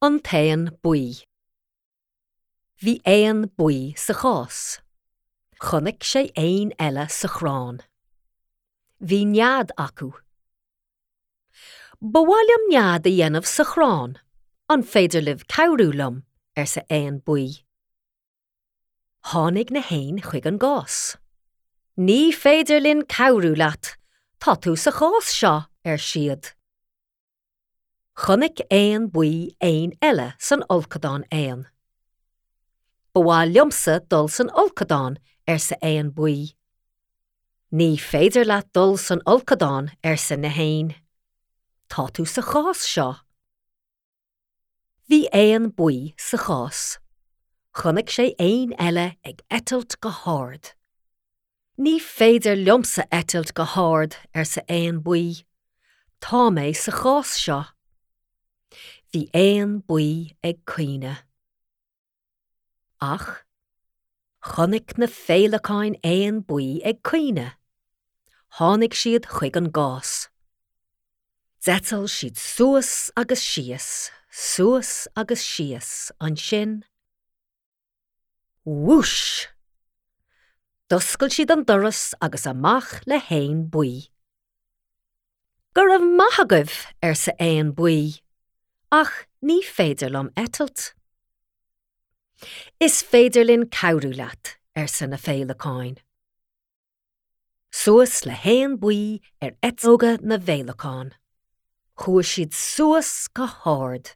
An tÉan Buí. Bhí éan buí sa chás. Chonaic sé éin eile sa chrann. Bhí nead acu. Ba mhaith liom nead a dhéanamh sa chrann, an féidir libh cabhrú liom? arsa éan buí. Tháinig na héin chuig an gcás. Ní féidir linn cabhrú leat, tá tú sa chás seo, ar siad. Chonaic éan buí éin eile san fholcadán éan. Ba mhaith liomsa dul san fholcadán, arsa éan buí. Ní féidir leat dul san fholcadán, arsa na héin. Tá tú sa chás seo. Bhí éan buí sa chás. Chonaic sé éin eile ag eitilt go hard. Ní féidir liomsa eitilt go hard, arsa éan buí. Tá mé sa chás seo. Bhí éan buí ag caoineadh. Ach chonaic na féileacáin éan buí ag caoineadh. Tháinig siad chuig an gcás. D'eitil siad suas agus síos, suas agus síos, ansin. Whoosh! D'oscail siad an doras agus amach le héan buí. Go raibh maith agaibh, arsa éan buí, ach ní féidir liom eitilt. Is féidir linn cabhrú leat, arsa na féileacáin. Suas le héan buí ar eitleoga na bhféileacán. Chuaigh siad suas go hard.